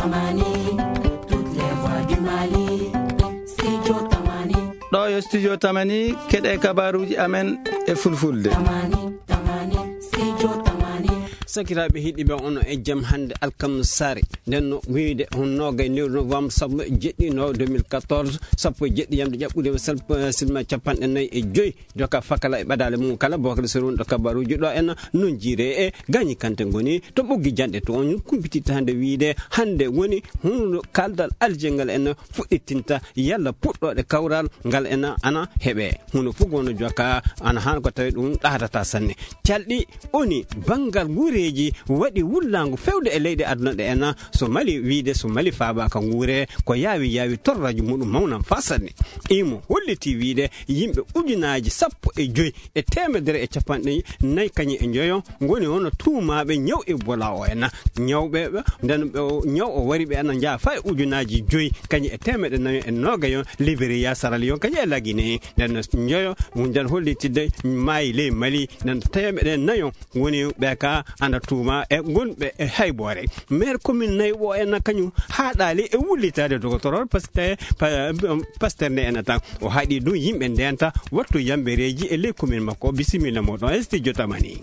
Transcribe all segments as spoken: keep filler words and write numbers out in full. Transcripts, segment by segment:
Tamani, toutes les voix du Mali, Studio Tamani. Ɗo yo Studio Tamani, keɗe kabaruuji amen e fulfulde. Tamani, Tamani, Studio Tamani. Sakiraaɓe heɗiiɓe, on e jam hannde alkamsa saare. Nden no wiyde on noogay lewru novembre sappo e jeɗɗi no deux mille quatorze, sappo e jeɗɗi yamde ƴaɓɓude sappo, sinma capanɗe nayi e joy. Joka fakala e ɓadaale mum kala, Bokar Sirun ɗo kabaruuji ɗo en non jiire e gañi kante ngoni to ɓoggi janɗe to on kumpititta hannde wiyde hannde woni hununo kaldal aljengal en fuɗɗitinta yalla puɗɗoɗe kawral ngal en ana heɓe. Huno fof gono joka ana han ko tawi ɗum ɗaatata sanne. Calɗi oni banngal nguureeji waɗi wullaango fewde e leyɗe aduna ɗe en so Mali wiyde so Mali faaba ka nguure ko yaawi yaawi torraji muɗum mawnam fa sanne. Imo holliti wiyde yimɓe ujunaaji sappo e joy e teemedere e capanɗe nayi kañum e njoyo ngoni hono tuumaaɓe ñaw Ebola o en. Ñawɓe ɓe, nden ɓe o, ñaw o wari ɓe ana njaa faa e ujunaaji joy kañum e teemeɗe nayo e noogayo Liberia, Sierra Leone kañum e Lagine. Nden no njoyo, nden hollitide maayi ley Mali, nden teemeɗe nayo woni ɓe ka ana tuuma e gonɓe e hayboore. Maire commune nayi o en kañum haaɗaali e wullitaade docteur Pasteur, pa-, Pasteur nde en tan. O haɗi ɗum yimɓe ndenta wattu yambereeji e ley commune makko. Bisimilla moɗon e studio Tamani.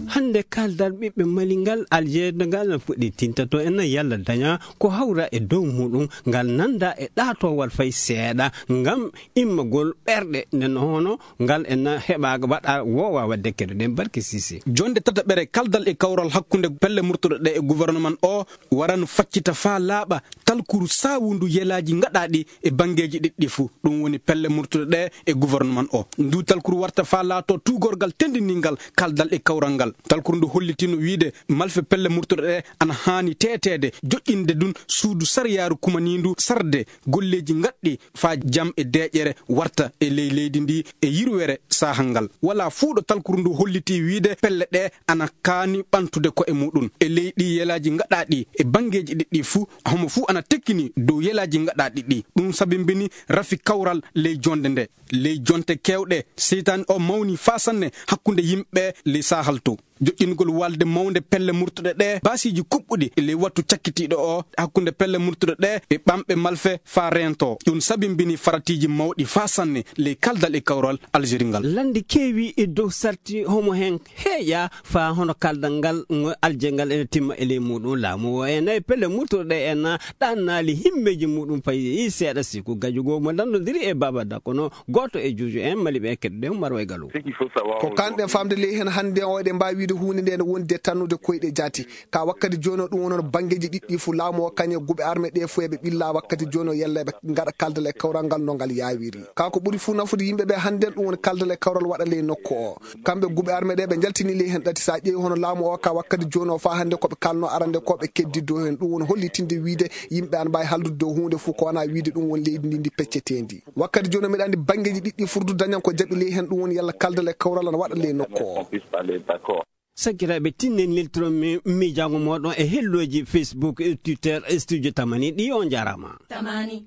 Hannde kaldal ɓiɓɓe Mali ngal, aljeeda ngal no fuɗɗi tintato en yalla daña ko hawra e dow muɗum, ngal nanda e ɗaatowal fay seeɗa ngam immagol ɓerɗe nden hono ngal en heɓa waɗa woowa waɗde keɗoɗen Barke Sise. Jonde tataɓere kaldal e kawral hakkunde pelle murtuɗe ɗe e gouvernement o waran faccita faa laaɓa talkuru saawundu yelaaji ngaɗaaɗi e banngeeji ɗiɗɗi fuu. Ɗum woni pelle murtuɗe ɗe e gouvernement o. Ndu talkuru warta faa laato tuugorgal tendiniingal kaldal e kawral ngal. Talkuru ndu hollitino wiyde malfe pelle murtuɗe ɗe ana haani teeteede, joƴƴinde ɗum suudu sariyaaru kumaniindu sarde golleeji ngaɗɗi faa jam e deeƴere warta e ley leydi ndi e yirwere saahal ngal. Walaa fuu ɗo talkuru ndu holliti wiyde pelle ɗe ana kaani ɓantude ko'e muɗum. E ley ɗi yelaaji ngaɗaaɗi e banngeeji ɗiɗɗi fuu, homo fuu ana tekkini dow yelaaji ngaɗaaɗi ɗi. Ɗum sabimbini rafi kawral ley jonde nde. Ley jonte keewɗe, seytaane o mawni faa sanne hakkunde yimɓe ley saahal to. Joƴƴingol walde mawnde pelle murtuɗe ɗe, baasiiji kuɓɓuɗi ley wattu cakkitiiɗo o, hakkunde pelle murtuɗe ɗe e ɓamɓe malfe faa reento. Ɗum sabimbini faratiiji mawɗi faa sanne ley kaldal e kawral Algérie ngal. Lannde keewi e dow sarti homo hen heeƴa faa hono kaldal ngal ngo alje ngal ene timma e ley muɗum. Laamu o e nayi pelle murtuɗe ɗe en ɗannaali himmeeji muɗum payi seeɗa siku gajugo mo lanndodiri e Baba Dakono, gooto e juuju en Mali ɓe keɗɗuɗen Marwa e Galu. Ko kanɗen famde ley hen hannde o eɗen mbaawi wiide huunde nde ene wondi e tannude koyɗe jaati. Ka wakkati jooni o ɗum woni hono banngeeji ɗiɗɗi fof laamu o kañum e guɓe arme ɗe fof eɓe ɓilla wakkati jooni o yalla eɓe ngaɗa kaldal e kawral ngal no ngal yaawiri. Ka ko ɓuri fof nafude yimɓe ɓe hannden ɗum woni kaldal e kawral waɗa ley nokku o. Kamɓe guɓe arme ɗe ɓe njaltini ley heen ɗati so a ƴeewi hono laamu o ka wakkati jooni o faa hannde ko ɓe kalno arande ko ɓe keddiddo heen ɗum woni hollitinde wiide yimɓe ana mbaawi haldude dow huunde fof ko wonaa wiide ɗum woni leydi ndi ndi pecceteendi. Wakkati jooni o miɗa anndi banngeeji ɗiɗɗi furdu dañan ko jaɓi ley heen ɗum woni yalla kaldal e kawral ana waɗa ley nokku o. Sakkiraaɓe, tinnen neltiron mi miijaango mooɗon e hellooji Facebook e Twitter e Studio Tamani ɗi. On njaaraama. Tamani.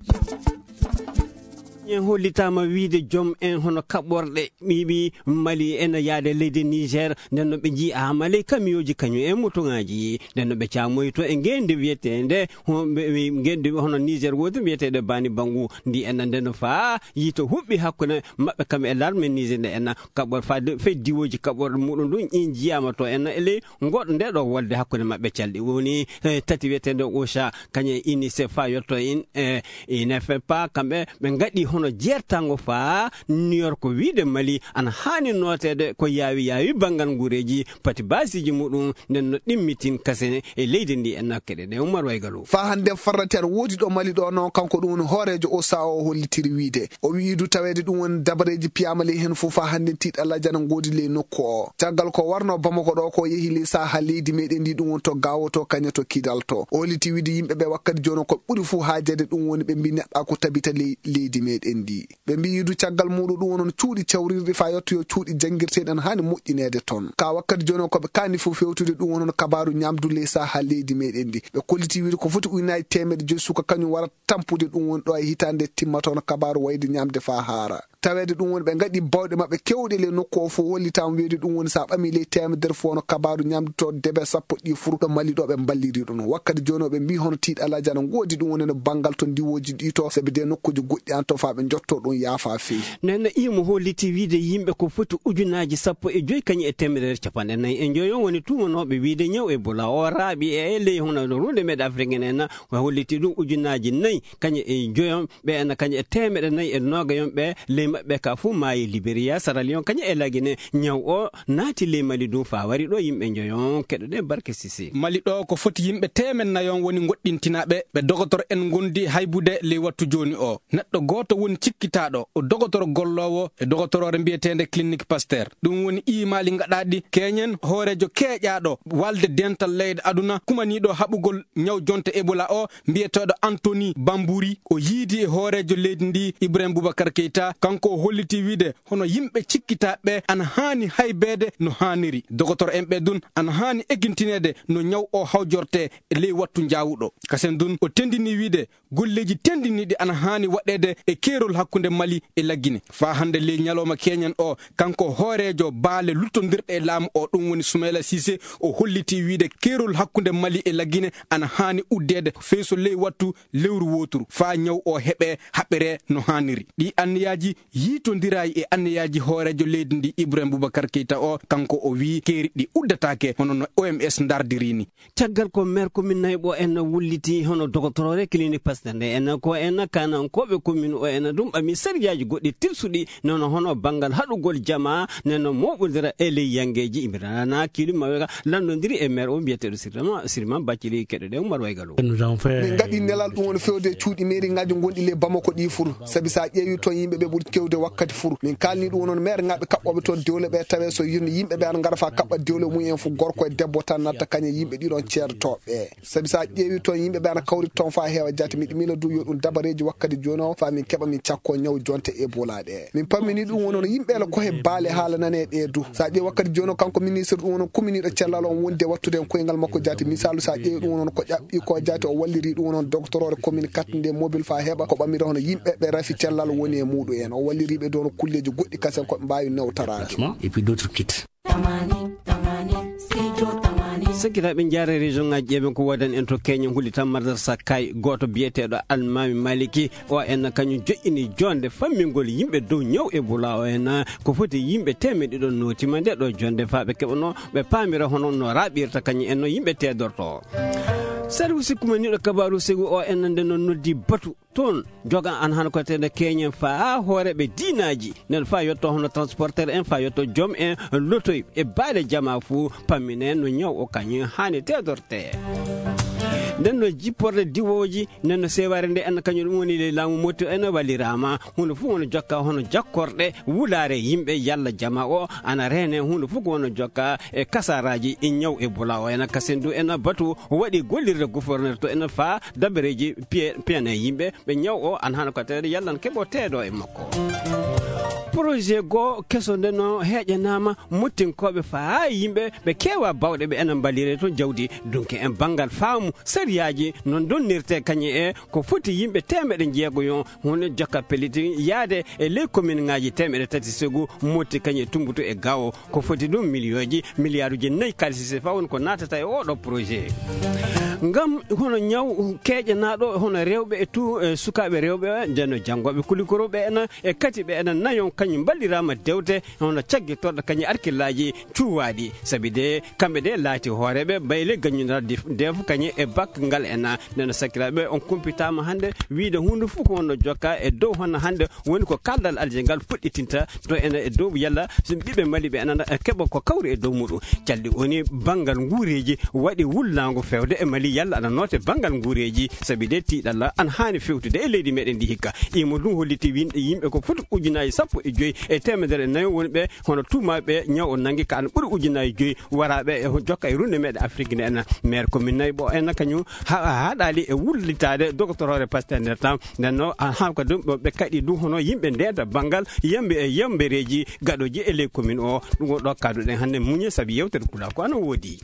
En hollitaama wiide joom en hono kaɓorɗe ɓiɓi Mali ene yaade leydi Niger, nden no ɓe njiyaama ley kamiyooji kañum e motoŋaaji, nden no ɓe caamoyto e ngeenndi wiyeteende, ho-, ɓe, ɓe, ngeenndi hono Niger woodi wiyeteende Bani Bangu, ndi en nden no faa yiito huɓɓi hakkunde maɓɓe kam e larme Niger nde en kaɓor faade fey diwooji kaɓorɗe muɗum ɗum in njiyaama to en e ley ngoɗo nde ɗo wolde hakkunde maɓɓe calɗi woni, eh, tati wiyeteende OCHA, kañum e UNICEF faa yotto in, eh, ina fe pa kamɓe ɓe ngaɗi hono jeertango faa New York wiide Mali ana haani nooteede ko yaawi yaawi banngal nguureeji pati baasiiji muɗum nden no ɗimmitin kasene e leydi ndi e nakkere ɗe Umar Waygalo. Faa hannde farrati aɗa woodi ɗo Mali ɗo noon kanko ɗum woni hooreejo OCHA o hollitiri wiide. O wi'i du taweede ɗum woni dabareeji piyaama ley heen fof faa hannde tiiɗalla jana ngoodi ley nokku o. Caggal ko warno Bamako ɗo ko yehi ley saha leydi meɗen ndi ɗum woni to Gaawo to kañum to Kidal to. O holliti wiide yimɓe ɓe wakkati jooni ko ɓuri fof haajeede ɗum woni ɓe mbi neɗɗa ko tabita ley leydi meɗen ndi. Ɓe mbiyi du caggal muɗum ɗum woni cuuɗi cawrirɗi faa yottoyo cuuɗi janngirteeɗi ana haani moƴƴineede toon. Ka wakkati jooni o ko ɓe kaani fof fewtude ɗum woni hono kabaaru ñaamdu ley saha leydi meɗen ndi. Ɓe kolliti wiide ko foti ujunaaji teemeɗe joyi suka kañum wara tampude ɗum woni ɗo e hitaande timma toon kabaaru wayde ñaamde faa haara. Taweede ɗum woni ɓe ngaɗi bawɗe maɓɓe kewɗe ley nokku o fof, hollitaama weedu ɗum woni so a ɓamii ley teemedere fof hono kabaaru ñamdu to debe sappo ɗi fur ɗo Mali ɗo ɓe mballiri ɗum. Wakkati jooni o ɓe mbii hono tiiɗalaaji ana ngoodi ɗum woni no banngal to ndiwooji ɗi to, sabi de nokkuuji goɗɗi an to faa ɓe njotto ɗum yaafa feewi. Nden no imo holliti wiide yimɓe ko foti ujunaaji sappo e joy kañum e teemedere capanɗe nayi e joy on woni tuumanooɓe wiide ñaw Ebola o raaɓi e ley hono no runde meɗe Afrique en en, o holliti ɗum ujunaaji nayi kañum e joyon ɓe en kañum e teemeɗe nayi e noogayon ɓe ley maɓɓe ka fof maayi Liberia, Sierra Leone kañum e Lagine. Ñaw o naati ley Mali ɗum faa wari ɗo yimɓe joyon. Keɗoɗen Barke Sisi. Mali ɗo ko foti yimɓe teemen nayon woni ngoɗɗintinaaɓe ɓe dogotoro en ngondi haybude ley wattu jooni o. Neɗɗo gooto woni cikkitaaɗo, o dogotoro golloowo e dogotoroore mbiyeteende Clinique Pasteur. Ɗum woni iimaali ngaɗaaɗi keñen hooreejo keeƴaaɗo walde dental leyɗe aduna kumaniiɗo haɓugol ñaw jonte Ebola o, mbiyeteeɗo Anthony Bambouri. O yiidi e hooreejo leydi ndi Ibrahim Boubacar Keita. Kanko o holliti wiide hono yimɓe cikkitaaɓe ana haani haybeede no haaniri. Dogotoro en ɓe dun ana haani ekintineede no ñaw o hawjorte e ley wattu njaawuɗo. Kasen dun o tendini wiide golleeji tendiniiɗi ana haani waɗeede e keerol hakkunde Mali e Lagine. Faa hannde ley ñalooma keñen o, kanko hooreejo baale luttondirɗe e laamu o, ɗum woni Soumaïla Cissé, o holliti wiide keerol hakkunde Mali e Lagine ana haani uddeede fey so ley wattu lewru wooturu, faa ñaw o heɓe haɓere no haaniri. Ɗi anniyaaji yiitondiraay e anniyaaji hooreejo leydi ndi Ibrahim Boubacar Keita o, kanko o wii keeri ɗi uddataake hono no O M S ndardiri ni. Caggal ko maire commune Nayɓo en wulliti hono dogotoroore clinique Pasteur nde en ko en kanankooɓe commune o en ɗum ɓami sariyaaji goɗɗi tilsuɗi nono hono banngal haɗugol jama neno moɓodira e ley yangeeji imirana kili mawe lanndondiri e maire o mbiyeteeɗo Sirima, Sirima Baccili keɗoɗen Umar Waygalo. Nous avons fait Min ngaɗi nelal ɗum woni fewde e cuuɗi mairie ngaji gonɗi ley Bamako ɗi fur. Sabi sa ƴeewi toon yimɓe ɓe ɓuri kewde wakkati fur. Min kaalni ɗum wonon maire ngaɓe kaɓɓoɓe toon dewle ɓe tawe so yirno yimɓe ɓe ana ngara fa kaɓɓa dewle mum en fof gorko e debbo tan natta kañe yimɓe ɗiɗon ceertooɓe. Sabi sa ƴeewi toon yimɓe ɓe ana kawri toon fa heewa jaati miɗo miila du yo ɗum dabareeji wakkati jooni o fa min keɓa min cakko ñaw jonte Ebola ɗe. Min pammini ɗum wonon yimɓe la ko he baale haala nane ɗe du. Sa ƴeewi wakkati jooni o kanko ministre ɗum wonon kuminiɗo cellal on wonde wattude en koyngal makko jaati. Misaalu sa ƴeewi ɗum wonon ko ƴaɓɓi ko jaati o walliri ɗum wonon doctorore commune kattinde mobile fa heɓa ko ɓamira hono yimɓe ɓe rafi cellal woni e muɗum en. O walliriɓe dono kulleji goɗɗi kasen ko ɓe mbawi newtaraade. Déplacement et puis d'autres kits. Tamani, tamani, studio tamani. Sakiraaɓe njaare région ngaji ƴeeɓen ko wadan en to Kenya huli tan madrasa kay goto biyeteɗo Almami Maliki o en kañum joƴƴini jonde fammingol yimɓe dow ñaw Ebola o en ko foti yimɓe temeɗe ɗiɗo notima nde ɗo jonde fa ɓe keɓano ɓe pamira hono no raɓirta kañum en no yimɓe tedorto. Service kumaniɗo kabaru segu o en nde no noddi batu toon joga an han ko tede keñen fa hooreɓe diinaji nden fa yetto hono transporteur en fa yetto joom en lotoy e baale jama fuu pammine no ñaw o kañum hani tedorte. Nden no jipporde diwoji nden no seware nde en kañum ɗum woni ley laamu motti en wallirama hunde fuu wona jokka hono jakkorɗe wulaare yimɓe yalla jama o ana rene hunde fuu ko wona jokka e kasaraji e ñaw e bula o ena kasen du ena batu waɗi gollirde gouverneur to ena fa dabareji piye piyane yimɓe ɓe ñaw o an hano ko tawede yallan keɓo teedo e makko. Projet goo keso nde no heƴanama mottinkoɓe fa ha yimɓe ɓe kewa bawɗe ɓe ena mbalire to jawdi dunke en banngal faamu sariyaji no donnirte kañum e ko foti yimɓe temeɗe jeego yon hunde jokka pellitin yaade e ley commune ngaji temeɗe tati segu motti kañum e tumbutu e gawo ko foti ɗum miliyonji miliyaaruji nayi kalisi sefa woni ko natata e oɗo projet. Ngam hono ñaw keeƴanaɗo hono rewɓe e tu e sukaɓe rewɓe ndeno janngoɓe kulikoroɓe ena e kati ɓe ena nayon kañum mballirama dewte hono caggitorɗo kañum arkillaji cuwaɗi sabi de kamɓe de laati hooreɓe bayle gaññunal defu kañum e bak ngal ena ndeno sakiraɓe on kumpitama hande wiide hunde fof ko wonno jokka e dow hono hande woni ko kaldal alje ngal fuɗɗitinta to ene e dow yalla so ɓiɓɓe mali ɓe anana e keɓa ko kawri e dow muɗum calɗi woni banngal nguureeji waɗi wullaango fewde e mali yalla ana noote banngal nguureeji sabi de tiiɗalla ana haani fewtude e leydi meɗen ndi hikka imo ɗum holliti winde yimɓe ko foti ujunaji sappo e joyi e temedere e nayo woni ɓe hono tuumaɓe ñaw o nangi ka ana ɓuri ujunaji joyi waraɓe e jokka e runde meɗe afrique nde ena maire commune nayi ɓo ena kañum haɗali e wullitade doctorore pasteur nder tan ndenno ha ko ɗum ɓe kaɗi ɗum hono yimɓe ndenta banngal yambe e yambereji gaɗoji e ley commune o ɗum o ɗo kaduɗen hannde muñe saabi yewtere pulaar ko ana woodi.